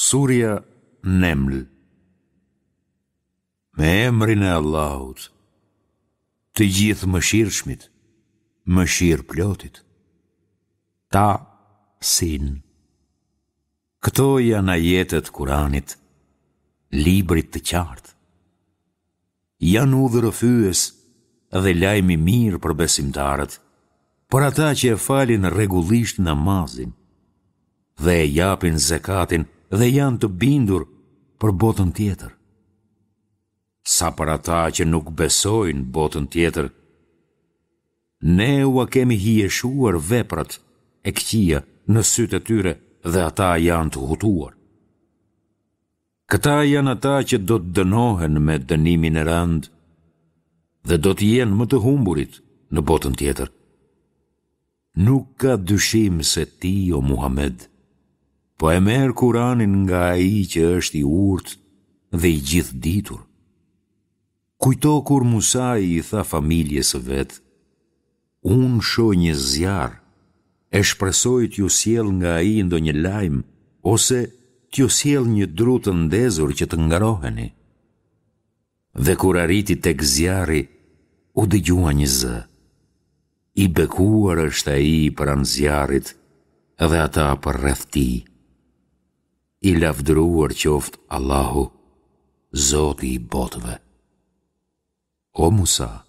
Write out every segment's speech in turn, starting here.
Surja Neml Me emrin e Allahut, të Gjithëmëshirshmit, mëshirëplotit. Ta Sin. Këto janë ajete të Kuranit, librit të qartë. Janë udhërrëfyes dhe lajm i mirë për besimtarët, për ata që e falin rregullisht namazin dhe e japin zekatin dhe janë të bindur për botën tjetër. Sa për ata që nuk besojnë botën tjetër, ne ua kemi hijeshuar veprat e këqija në sytë e tyre dhe ata janë të hutuar. Këta janë ata që do të dënohen me dënimin e rëndë dhe do të jenë më të humburit në botën tjetër. Nuk ka dyshim se ti, o Muhamed, po e merr Kuranin nga ai që është i urtë dhe i gjithëditur. Kujto kur Musai i tha familjes së vet, Unë shoh një zjarr, e shpresoj t'ju sjell nga ai ndonjë lajm ose t'ju sjell një dru të ndezur që të ngroheni. Dhe kur arriti tek zjarri, u dëgjua një zë. I bekuar është ai pranë zjarrit dhe ata përreth tij. I lavdëruar qoftë Allahu, Zoti i botëve. O Musa,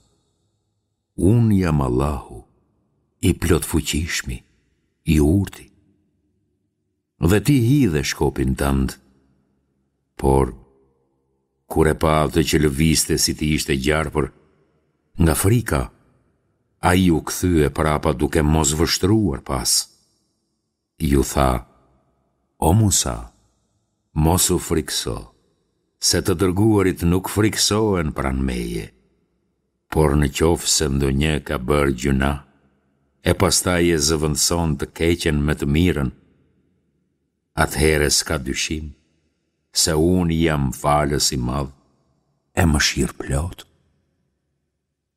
unë jam Allahu, i plotfuqishmi, i urti. Dhe ti hidhe shkopin tënd. Por, kur e pa atë që lëvizte si të ishte gjarpër, nga frika, ai u kthye prapa duke mos vështruar pas. Iu tha, O Musa, mos u frikëso, se të dërguarit nuk frikësohen pranë meje. Por në qoftë se ndonjë ka bërë gjynah, e pastaj e zëvendëson të keqen me të mirën, atëherë s'ka dyshim se unë jam falës i madh e mëshirëplotë.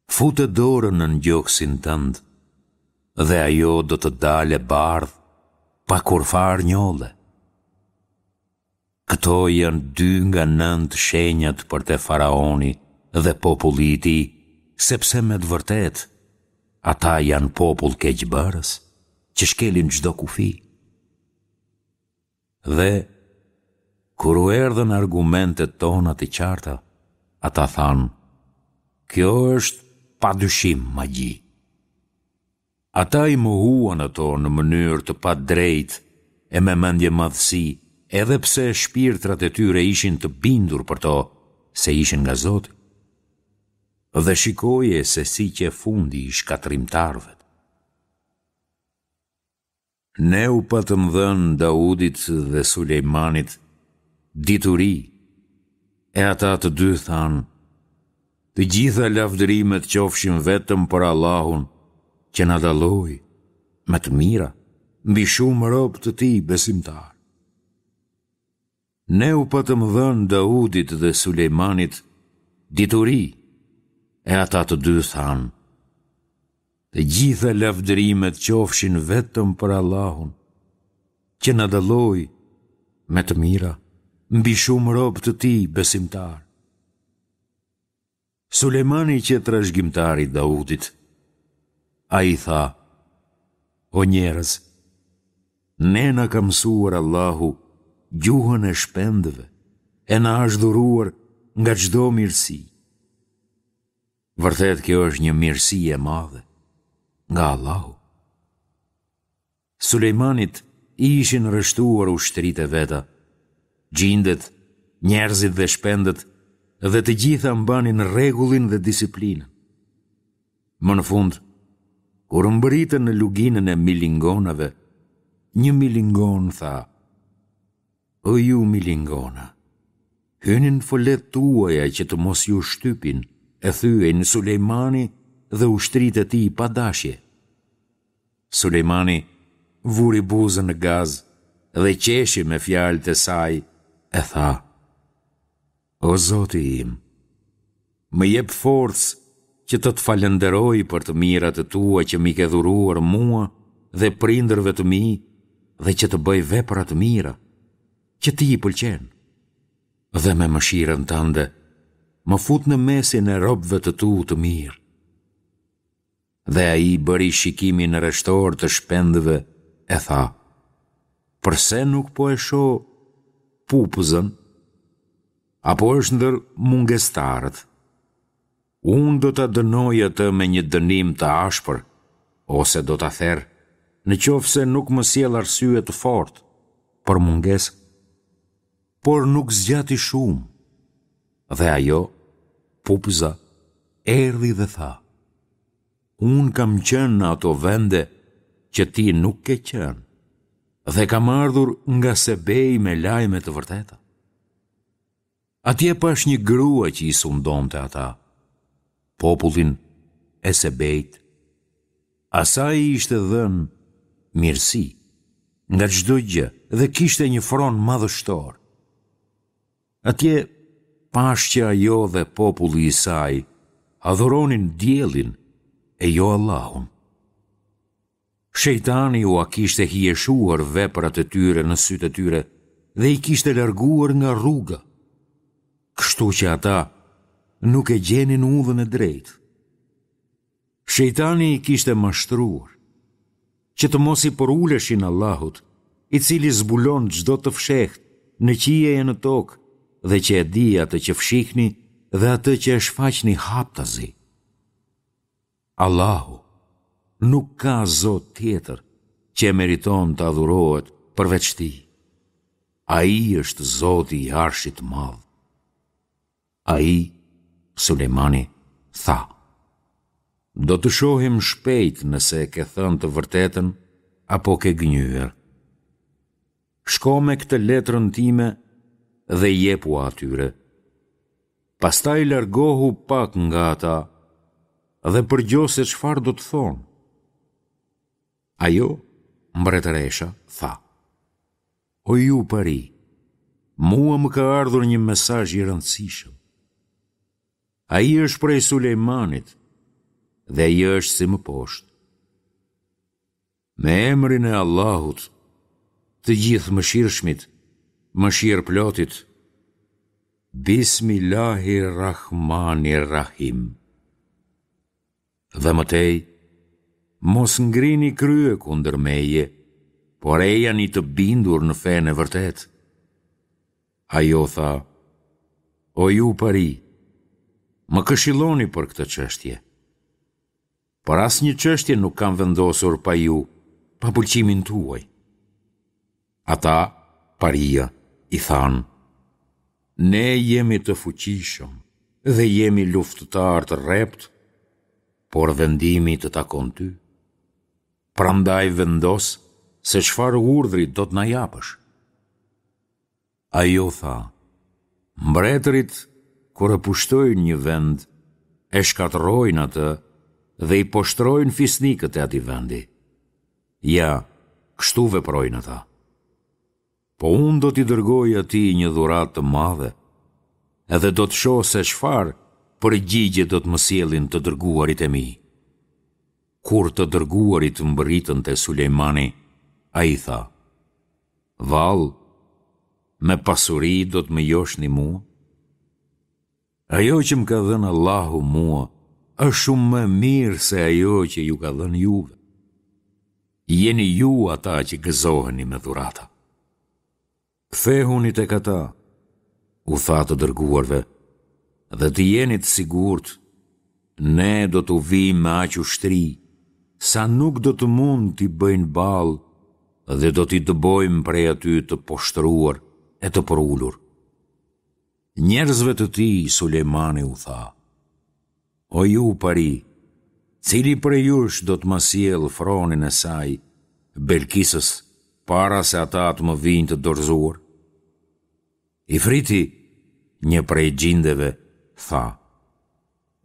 Fute dorën nën gjoksin tënd dhe ajo do të dalë e bardhë pa kurrfarë njolle. Këto janë dy nga nëntë shenjat për te faraoni dhe populli i tij, sepse me të vërtetë ata janë popull keqbërës, që shkelin çdo kufi. Dhe, kur u erdhën argumentet tona të qarta, ata thanë, Kjo është pa dyshim magji. Ata i mohuan ato në mënyrë të padrejtë e me mendjemadhësi, edhe pse shpirtrat e tyre ishin të bindur për to se ishin nga Zoti. Dhe shikoje se si qe fundi i shkatërrimtarëve. Ne u patëm dhënë Daudit dhe Sulejmanit dituri, e ata të dy thanë, Të gjitha lavdërimet qofshin vetëm për Allahun, që na dalloi me të mira mbi shumë robë të tij besimtarë. Ne u patëm dhënë Daudit dhe Sulejmanit dituri, e ata të dy thanë, Të gjitha lavdërimet qofshin vetëm për Allahun, që na dalloi me të mira mbi shumë robë të tij besimtarë. Sulejmani qe trashëgimtar i Daudit. Ai tha, O njerëz, ne na ka mësuar Allahu gjuhën e shpendëve e na është dhuruar nga çdo mirësi. Vërtet kjo është një mirësi e madhe nga Allahu. Sulejmanit i ishin rreshtuar ushtritë e veta, xhindet, njerëzit dhe shpendët dhe të gjitha mbanin rregullin dhe disiplinën. Më në fund, kur mbërritën në luginën e milingonave, një milingonë tha, O ju milingona, hyni në foletë tuaja që të mos ju shtypin e thyejnë Sulejmani dhe ushtritë e tij pa dashje. Sulejmani vuri buzën në gaz dhe qeshi me fjalët e saj e tha, O Zoti im, më jep forcë që të të falënderoj për të mirat e tua që m'i ke dhuruar mua dhe prindërve të mi dhe që të bëj vepra të mira. që ti i pëlqen. Dhe me mëshirën tënde, më fut në mesin e robëve të tu të mirë. Dhe ai bëri shikimin në rreshtor të shpendëve e tha, Përse nuk po e shoh pupëzën? Apo është ndër mungestarët? Unë do ta dënoj atë me një dënim të ashpër, ose do ta ther, në qoftë se nuk më sjell arsye të fortë për mungesë. Por nuk zgjati shumë. Dhe ajo, pupëza, erdhi dhe tha, Unë kam qenë në ato vende që ti nuk ke qenë, dhe kam ardhur nga Sebei me lajme të vërteta. Atje pashë një grua që i sundonte ata, popullin e Sebeit. Asaj i ishte dhënë mirësi nga çdo gjë dhe kishte një fron madhështor. Atje pashë që ajo dhe populli i saj adhuronin diellin e jo Allahun. Shejtani ua kishte hijeshuar veprat e tyre në sytë e tyre dhe i kishte larguar nga rruga, kështu që ata nuk e gjenin udhën e drejtë. Shejtani i kishte mashtruar, që të mos i përuleshin Allahut, i cili zbulon çdo të fshehtë në qiej e në tokë dhe që e di atë që fshihni dhe atë që e shfaqni haptazi. Allahu nuk ka zot tjetër që e meriton të adhurohet përveç Tij. Ai është Zoti i Arshit të Madh. Ai, Sulejmani, tha, Do të shohim shpejt nëse e ke thënë të vërtetën apo ke gënjyer. Shko me këtë letrën time dhe jepua atyre. Pastaj largohu pak nga ata dhe përgjo se çfarë do të thonë. Ajo, mbretëresha, tha, O ju pari, mua më ka ardhur një mesazh i rëndësishëm. Ai është prej Sulejmanit dhe ai është si më poshtë. Me emrin e Allahut, të Gjithëmëshirshmit, mëshirëplotit, Bismillahi Rahmani Rahim. Dhe më tej, mos ngrini krye kundër meje, por ejani të bindur në fenë e vërtetë. Ajo tha, O ju pari, më këshilloni për këtë çështje. Për asnjë çështje nuk kam vendosur pa ju, pa pëlqimin tuaj. Ata, paria, i thanë, Ne jemi të fuqishëm dhe jemi luftëtarë të rreptë, por vendimi të takon ty. Prandaj vendos se çfarë urdhri do të na japësh. Ajo tha, Mbretërit kur e pushtojnë një vend, e shkatërrojnë atë dhe i poshtërojnë fisnikët e atij vendi. Ja, kështu veprojnë ata. Po unë do t'i dërgoj atij një dhuratë të madhe, edhe do të shoh se çfarë përgjigje do të më sjellin të dërguarit e mi. Kur të dërguarit mbërritën te Sulejmani, ai tha, Vallë, me pasuri do të më joshni mua? Ajo që më ka dhënë Allahu mua është shumë më e mirë se ajo që ju ka dhënë juve. Jeni ju ata që gëzoheni me dhurata. Kthehuni tek ata, u tha të dërguarve, dhe të jeni të sigurt, ne do t'u vijmë me aq ushtri, sa nuk do të mund t'i bëjnë ballë dhe do t'i dëbojmë prej aty të poshtëruar e të përulur. Njerëzve të tij Sulejmani u tha, O ju pari, cili prej jush do të ma sjellë fronin e saj, Belkisës, para se ata të më vijnë të dorëzuar? Ifriti, një prej xhindeve, tha,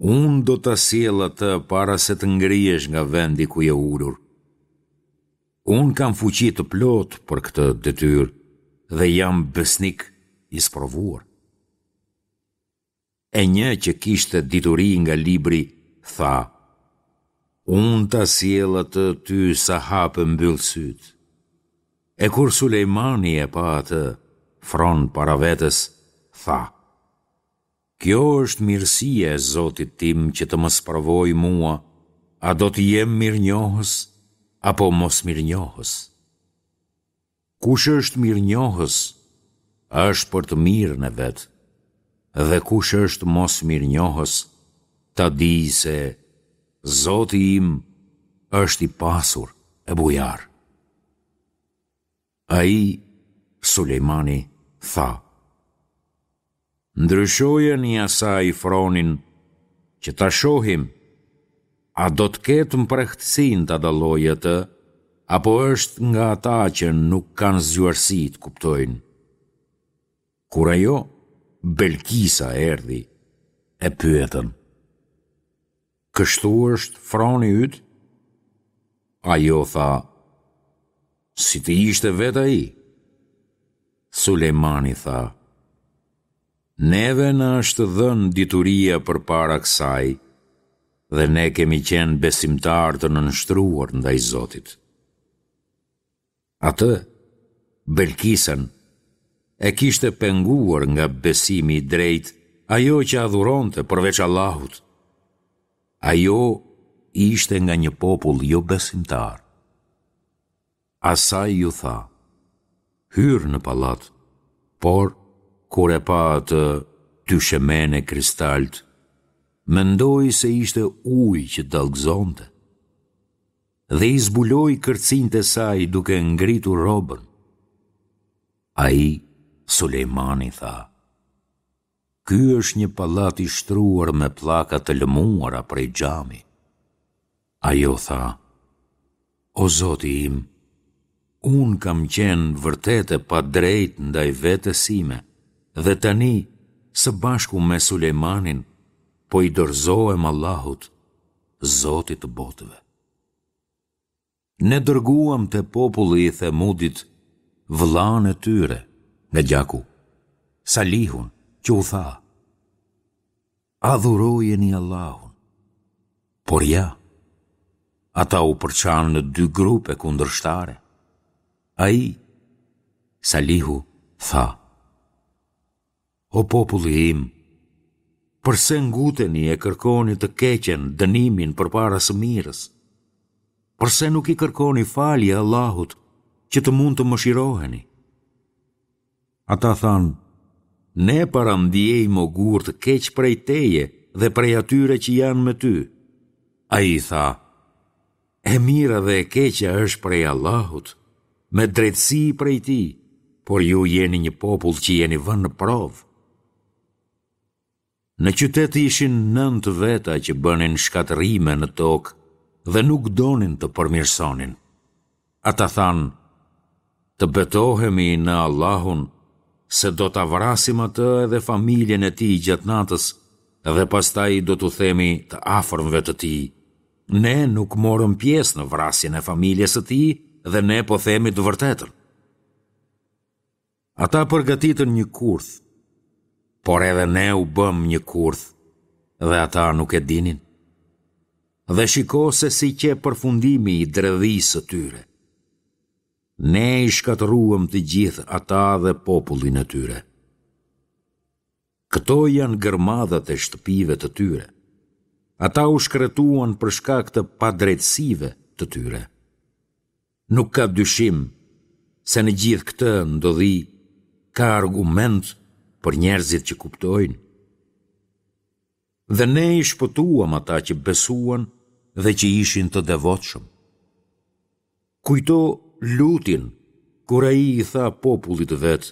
Unë do ta sjell atë para se të ngrihesh nga vendi ku je ulur. Unë kam fuqi të plotë për këtë detyrë dhe jam besnik i sprovuar. E një që kishte dituri nga libri tha, Unë ta sjell atë ty sa hap e mbyll sytë. E kur Sulejmani e pa atë, fron para vetes, tha, Kjo është mirësia e Zotit tim që të më sprovojë mua, a do të jem mirënjohës apo mosmirënjohës. Kush është mirënjohës, është për të mirën e vet, dhe kush është mosmirënjohës, ta dijë se Zoti im është i pasur e bujar. Ai, Sulejmani, tha, Ndryshojani asaj fronin që ta shohim a do të ketë mprehtësinë ta dallojë atë apo është nga ata që nuk kanë zgjuarsi të kuptojnë. Kur ajo, Belkisa erdhi, e pyetën, Kështu është froni yt? Ajo tha, Si të ishte vetë ai? Sulejmani tha, Neve na është dhënë dituria përpara kësaj dhe ne kemi qenë besimtarë të nënshtruar ndaj Zotit. Atë, Belkisen, e kishte penguar nga besimi i drejtë ajo që adhuronte përveç Allahut. Ajo ishte nga një popull jobesimtar. Asaj iu tha, Hyr në pallat, por, kur e pa atë dyshemenë e kristaltë, mendoi se ishte ujë që dallgëzonte. Dhe i zbuloi kërcinjtë e saj duke ngritur rrobën. Ai, Sulejmani, tha, Ky është një pallat i shtruar me pllaka të lëmuara prej xhami. Ajo tha, O Zoti im, unë kam qenë vërtet e padrejtë ndaj vetes sime dhe tani, së bashku me Sulejmanin, po i dorëzohem Allahut, Zotit të botëve. Ne dërguam te populli i Themudit vëllanë e tyre nga gjaku, Salihun, që u tha, Adhurojeni Allahun. Por ja, ata u përçanë në dy grupe kundërshtare. Ai, Salihu, tha, O populli im, përse nguteni e kërkoni të keqen, dënimin përpara së mirës? Përse nuk i kërkoni falje Allahut që të mund të mëshiroheni? Ata thanë, ne parandiejmë ogur të keq prej teje dhe prej atyre që janë me ty. Ai tha, E mira dhe e keqja është prej Allahut, me drejtësi prej Tij, por ju jeni një popull që jeni vënë në provë. Në qytet ishin nëntë veta që bënin shkatërrime në tokë dhe nuk donin të përmirësonin. Ata thanë, Të betohemi në Allahun se do ta vrasim atë edhe familjen e tij gjatë natës dhe pastaj do t'u themi të afërmve të tij, Ne nuk morëm pjesë në vrasjen e familjes së tij dhe ne po themi të vërtetën. Ata përgatitën një kurth, por edhe ne u bëmë një kurth dhe ata nuk e dinin. Dhe shiko se si qe përfundimi i dredhisë së tyre. Ne i shkatërruam të gjithë ata dhe popullin e tyre. Këto janë gërmadhat e shtëpive të tyre. Ata u shkretuan për shkak të padrejtësive të tyre. Nuk ka dyshim se në gjithë këtë ndodhi ka argument për njerëzit që kuptojnë. Dhe ne i shpëtuam ata që besuan dhe që ishin të devotshëm. Kujto Lutin, kur ai i tha popullit të vet,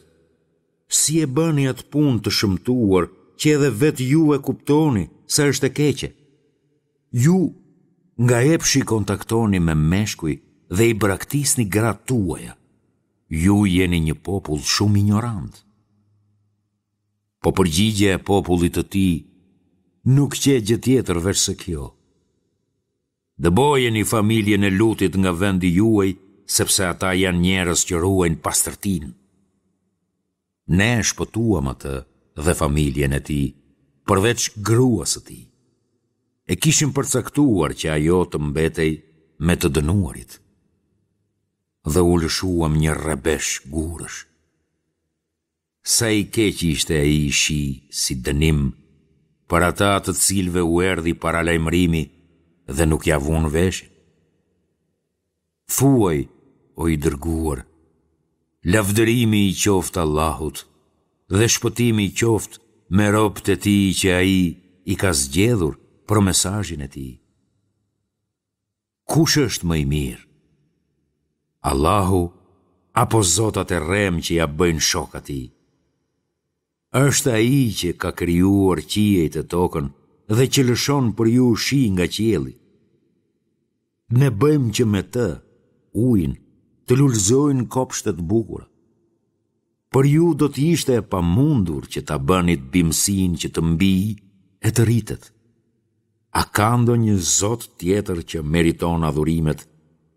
Si e bëni atë punë të shëmtuar që edhe vetë ju e kuptoni se është e keqe? Ju nga epshi kontaktoni me meshkuj dhe i braktisni gratë tuaja. Ju jeni një popull shumë injorant. Po përgjigja e popullit të tij nuk qe gjë tjetër veçse kjo. Dëbojeni familjen e Lutit nga vendi juaj, sepse ata janë njerëz që ruajnë pastërtinë. Ne e shpëtuam atë dhe familjen e tij, përveç gruas së tij. E kishim përcaktuar që ajo të mbetej me të dënuarit. Dhe u lëshuam një rrebesh gurësh. Sa i keq ishte ai shi si dënim për ata të cilëve u erdhi paralajmërimi dhe nuk ia vunë veshin. Thuaj, o i dërguar, lavdërimi i qoftë Allahut dhe shpëtimi qoftë me robët e tij që ai i ka zgjedhur për mesazhin e tij. Kush është më i mirë? Allahu apo zotat e rremë që ia bëjnë shok atij? Është ai që ka krijuar qiejt e tokën dhe që lëshon për ju shi nga qielli. Ne bëjmë që me të, ujin, të lulëzojnë kopshte të bukura. Për ju do të ishte e pamundur që ta bënit bimësinë që të mbijë e të rritet. A ka ndonjë zot tjetër që meriton adhurimet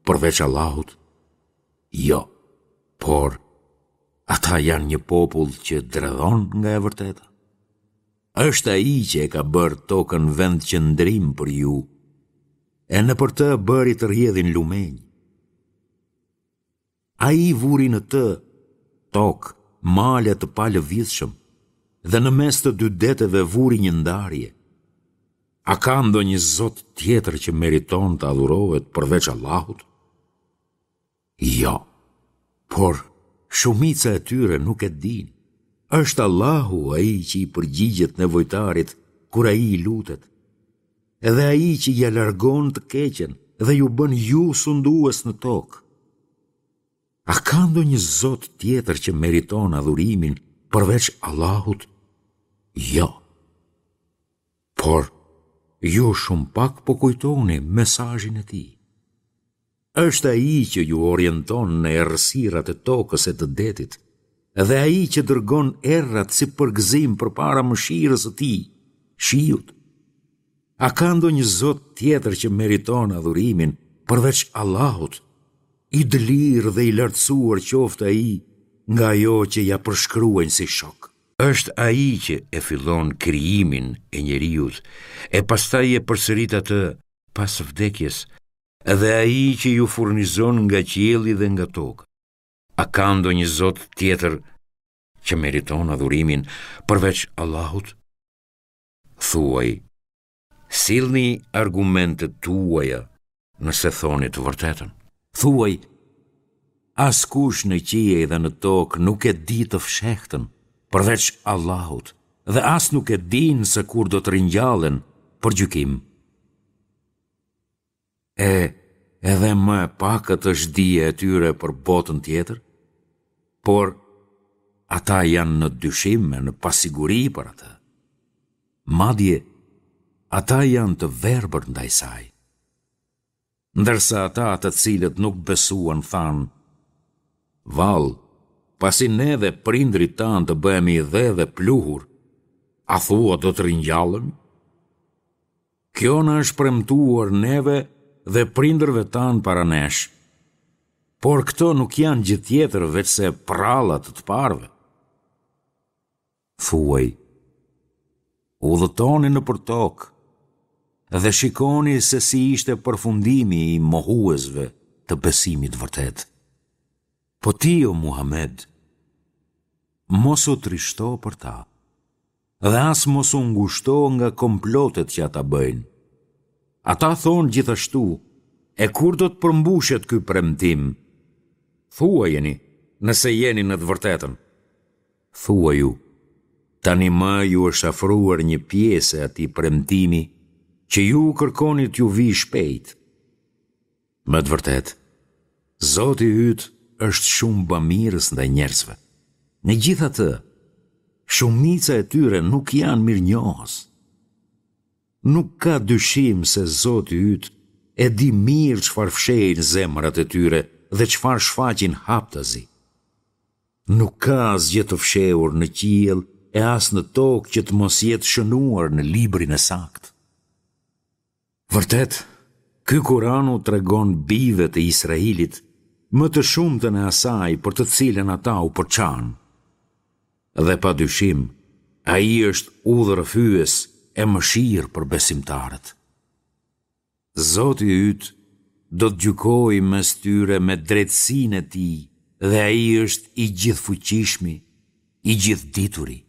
përveç Allahut? Jo, por ata janë një popull që dredhon nga e vërteta. Është ai që e ka bërë tokën vendqëndrim për ju, e nëpër të bëri të rrjedhin lumenj. Ai vuri në të, tokë, male të palëvizshëm dhe në mes të dy deteve vuri një ndarje. A ka ndonjë zot tjetër që meriton të adhurohet përveç Allahut? Jo, por shumica e tyre nuk e dinë. Është Allahu ai që i përgjigjet nevojtarit kur ai i lutet. Edhe ai që ia largon të keqen dhe ju bën ju sundues në tokë. A ka ndonjë zot tjetër që meriton adhurimin përveç Allahut? Jo. Por, ju shumë pak po kujtoni mesazhin e tij. Është ai që ju orienton në errësirat e tokës e të detit, dhe ai që dërgon erërat si përgëzim përpara mëshirës së tij, shiut. A ka ndonjë zot tjetër që meriton adhurimin përveç Allahut? I dëlirë dhe i lartësuar qoftë ai nga ajo që ia përshkruajnë si shok. Është ai që e fillon krijimin e njeriut e pastaj e përsërit atë pas vdekjes, Dhe ai që ju furnizon nga qielli dhe nga toka. A ka ndonjë zot tjetër që meriton adhurimin përveç Allahut? Thuaj, sillni argumentet tuaja nëse thoni të vërtetën. Thuaj, askush në qiej dhe në tokë nuk e di të fshehtën përveç Allahut dhe as nuk e dinë se kur do të ringjallen për gjykim. E edhe më e pakët është dija e tyre për botën tjetër, por ata janë në dyshim e në pasiguri për atë. Madje, ata janë të verbër ndaj saj. Ndërsa ata të cilët nuk besuan thanë, Vallë, pasi ne dhe prindërit tanë të bëhemi dhe dhe pluhur, a thua do të ringjallemi? Kjo na është premtuar neve dhe prindërve tanë para nesh. Por këto nuk janë gjë tjetër veçse prralla të të parëve. Thuaj, udhëtoni nëpër tokë dhe shikoni se si ishte përfundimi i mohuesve të besimit të vërtetë. Po ti, o Muhamed, mos u trishto për ta. Dhe as mos u ngushto nga komplotet që ata bëjnë. Ata thonë gjithashtu, e kur do të përmbushet ky premtim? Thuajeni, nëse jeni në të vërtetën. Thuaju, tani më ju është afruar një pjesë e atij premtimi që ju kërkoni t'ju vijë shpejt. Me të vërtetë, Zoti yt është shumë bamirës ndaj njerëzve. Megjithatë, shumica e tyre nuk janë mirënjohës. Nuk ka dyshim se Zoti yt e di mirë çfarë fshehin zemrat e tyre dhe çfarë shfaqin haptazi. Nuk ka asgjë të fshehur në qiell e as në tokë që të mos jetë shënuar në librin e saktë. Vërtet, ky Kuran u tregon bijve të Israilit më të shumtën e asaj për të cilën ata u përçanë. Dhe pa dyshim, ai është udhërrëfyes e mëshirë për besimtarët. Zoti yt do të gjykojë mes tyre me drejtësinë e tij dhe ai është i gjithëfuqishmi, I Gjithëdituri.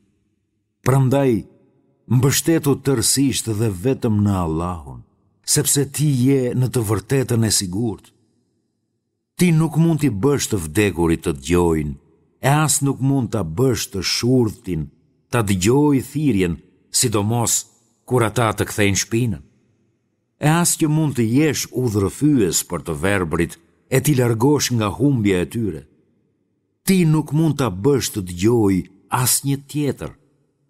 Prandaj, mbështetu tërësisht dhe vetëm në Allahun, sepse ti je në të vërtetën e sigurt. Ti nuk mund t'i bësh të vdekurit të dëgjojnë, e as nuk mund ta bësh të shurdhtin ta dëgjojë thirrjen, sidomos kur ata të kthejnë shpinën. E as që mund të jesh udhërrëfyes për të verbrit e t'i largosh nga humbja e tyre. Ti nuk mund ta bësh të dëgjojë asnjë tjetër,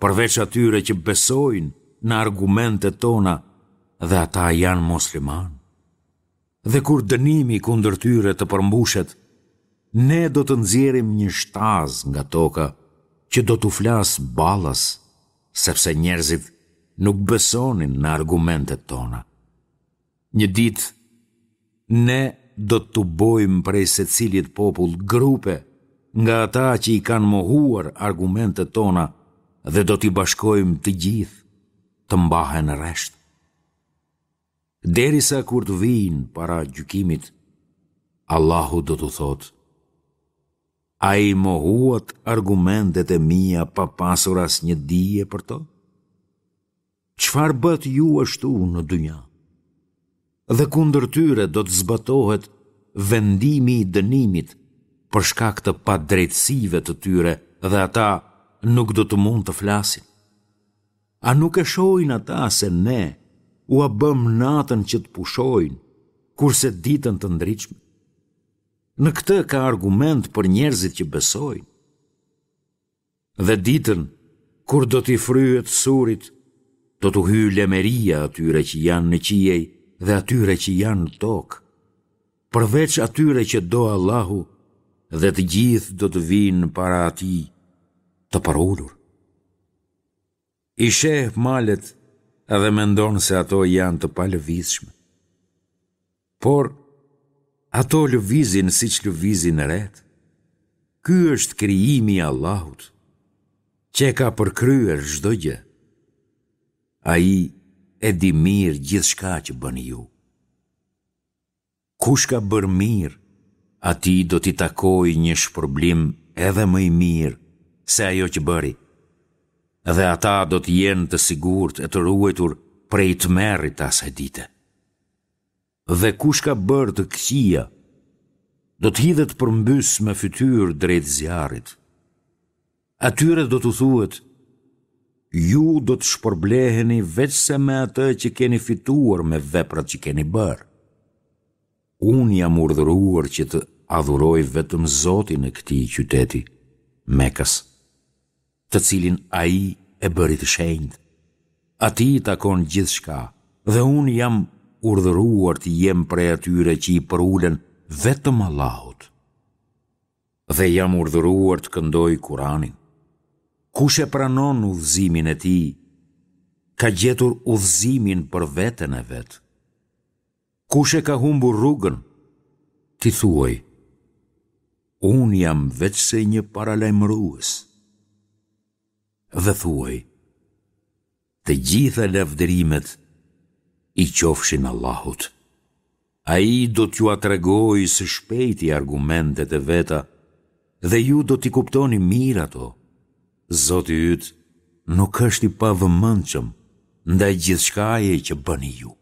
përveç atyre që besojnë në argumentet tona dhe ata janë muslimanë. Dhe kur dënimi kundër tyre të përmbushet, ne do të nxjerrim një shtazë nga toka që do t'u flasë ballas, sepse njerëzit nuk besonin në argumentet tona. Një ditë, ne do të tubojmë prej secilit popull grupe nga ata që i kanë mohuar argumentet tona dhe do t'i bashkojmë të gjithë të mbahen rresht. Derisa kur të vijnë para gjykimit, Allahu do t'u thotë, A i mohuat argumentet e mia pa pasur asnjë dije për to? Çfarë bëtë ju ashtu në dynja? Dhe kundër tyre do të zbatohet vendimi i dënimit për shkak të padrejtësive të tyre dhe ata nuk do të mund të flasin. A nuk e shohin ata se ne ua bëmë natën që të pushojnë, kurse ditën të ndritshme? Në këtë ka argument për njerëzit që besojnë. Dhe ditën, kur do t'i fryhet surit, do t'u hyjë lemeria atyre që janë në qiej dhe atyre që janë në tokë, përveç atyre që do Allahu dhe të gjithë do të vijnë para atij të përulur. I sheh malet dhe mendon se ato janë të palëvizshme. Por, ato lëvizin siç lëvizin retë. Ky është krijimi i Allahut, që e ka përkryer çdo gjë. Ai e di mirë gjithçka që bëni ju. Kush ka bërë mirë, atij do t'i takojë një shpërblim edhe më i mirë se ajo që bëri, dhe ata do të jenë të sigurt e të ruajtur prej tmerrit të asaj dite. Dhe kush ka bërë të këqija, do të hidhet përmbys me fytyrë drejt zjarrit. Atyre do t'u thuhet, Ju do të shpërbleheni veçse me atë që keni fituar me veprat që keni bërë. Unë jam urdhëruar që të adhuroj vetëm Zotin e këtij qyteti, Mekës, të cilin Ai e bëri të shenjtë. Atij i takon gjithçka dhe unë jam urdhëruar të jem prej atyre që i përulen vetëm Allahut. Dhe jam urdhëruar të këndoj Kuranin. Kush e pranon udhëzimin e tij, ka gjetur udhëzimin për veten e vet. Kush e ka humbur rrugën, ti thuaj, Unë jam veçse një paralajmërues. Dhe thuaj, Të gjitha lavdërimet i qofshin Allahut. Ai do t'jua tregojë së shpejti argumentet e veta dhe ju do t'i kuptoni mirë ato. Zoti yt nuk është i pavëmendshëm ndaj gjithçkaje që bëni ju.